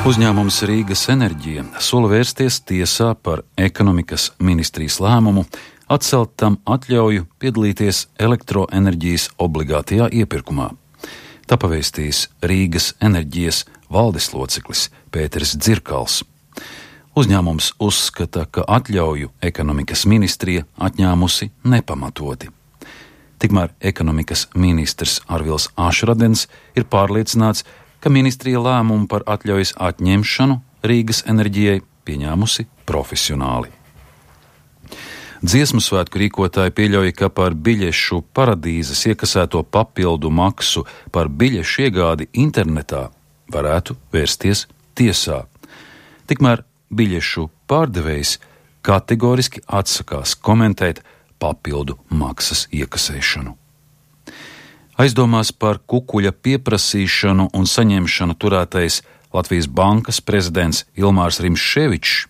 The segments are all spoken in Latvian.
Uzņēmums Rīgas Enerģija sola vērsties tiesā par ekonomikas ministrijas lēmumu atcelt tam atļauju piedalīties elektroenerģijas obligātajā iepirkumā. Tā pavēstījis Rīgas Enerģijas valdes loceklis Pēteris Dzirkals. Uzņēmums uzskata, ka atļauju ekonomikas ministrija atņēmusi nepamatoti. Tikmēr ekonomikas ministrs Arvils Ašradens ir pārliecināts, ka ministrija lēmumu par atļaujas atņemšanu Rīgas Enerģijai pieņēmusi profesionāli. Dziesmu svētku rīkotāji pieļauj, ka par biļešu paradīzes iekasēto papildu maksu par biļešu iegādi internetā varētu vērsties tiesā. Tikmēr biļešu pārdevējs kategoriski atsakās komentēt papildu maksas iekasēšanu. Aizdomās par kukuļa pieprasīšanu un saņemšanu turētais Latvijas bankas prezidents Ilmārs Rimševičs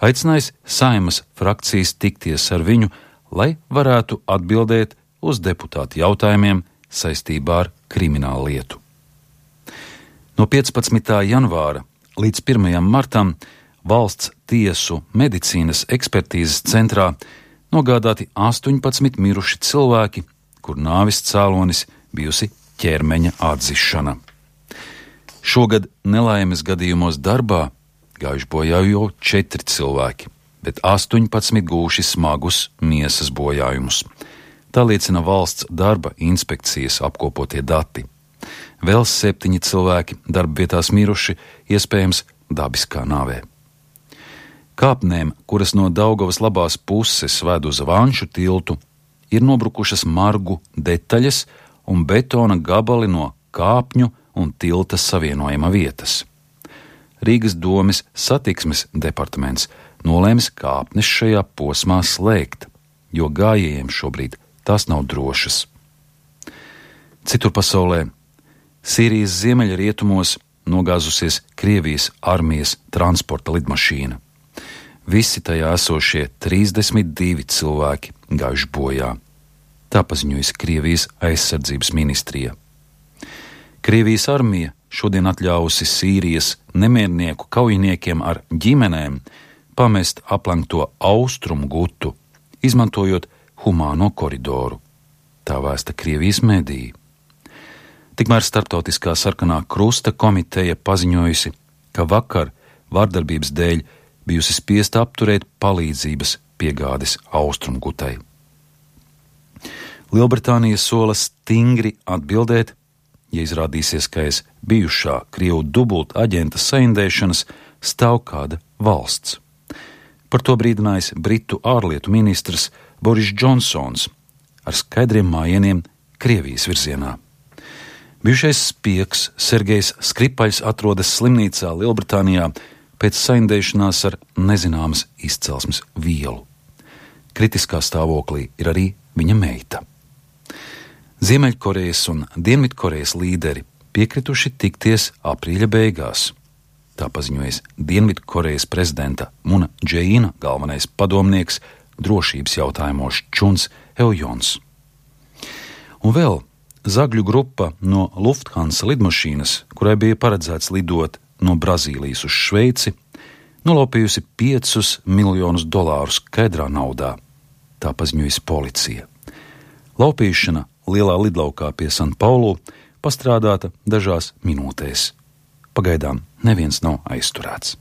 aicinājis Saeimas frakcijas tikties ar viņu, lai varētu atbildēt uz deputātu jautājumiem saistībā ar kriminālu lietu. No 15. janvāra līdz 1. martam Valsts tiesu medicīnas ekspertīzes centrā nogādāti 18 miruši cilvēki, kur nāves cēlonis bijusi ķermeņa atzišana. Šogad nelaimes gadījumos darbā gājuši bojā jau 4 cilvēki, bet 18 gūši smagus miesas bojājumus. Tā liecina valsts darba inspekcijas apkopotie dati. Vēl 7 cilvēki darba vietās miruši, iespējams dabiskā nāvē. Kāpnēm, kuras no Daugavas labās puses ved uz Vanšu tiltu, ir nobrukušas margu detaļas un betona gabali no kāpņu un tilta savienojuma vietas. Rīgas domes satiksmes departaments nolēmis kāpnes šajā posmā slēgt, jo gājējiem šobrīd tās nav drošas. Citur pasaulē Sīrijas ziemeļrietumos nogāzusies Krievijas armijas transporta lidmašīna. Visi tajā esošie 32 cilvēki gājuši bojā. Tā paziņojas Krievijas aizsardzības ministrija. Krievijas armija šodien atļāvusi Sīrijas nemiernieku kaujiniekiem ar ģimenēm pamest aplenkto austrumu gutu, izmantojot humāno koridoru. Tā vēsta Krievijas mediji. Tikmēr Starptautiskā sarkanā krusta komiteja paziņojusi, ka vakar vardarbības dēļ bijusi spiesta apturēt palīdzības piegādes austrumgutai. Lielbritānija sola stingri atbildēt, ja izrādīsies, ka aiz bijušā Krievu dubulta aģenta saindēšanas stāv kāda valsts. Par to brīdinājis Britu ārlietu ministrs Boris Džonsons ar skaidriem mājieniem Krievijas virzienā. Bijušais spiegs Sergejs Skripaļs atrodas slimnīcā Lielbritānijā pēc saindēšanās ar nezināmas izcelsmes vielu. Kritiskā stāvoklī ir arī viņa meita. Ziemeļkorejas un Dienvidkorejas līderi piekrituši tikties aprīļa beigās. Tā paziņojas Dienvidkorejas prezidenta Muna Džeīna galvenais padomnieks drošības jautājumos Čuns Eujons. Un vēl zagļu grupa no Lufthansa lidmašīnas, kurai bija paredzēts lidot no Brazīlijas uz Šveici, nolaupījusi $5 miljonus skaidrā naudā. Tā paziņojas policija. Laupīšana lielā lidlaukā pie San Paulu pastrādāta dažās minūtēs. Pagaidām neviens nav aizturēts.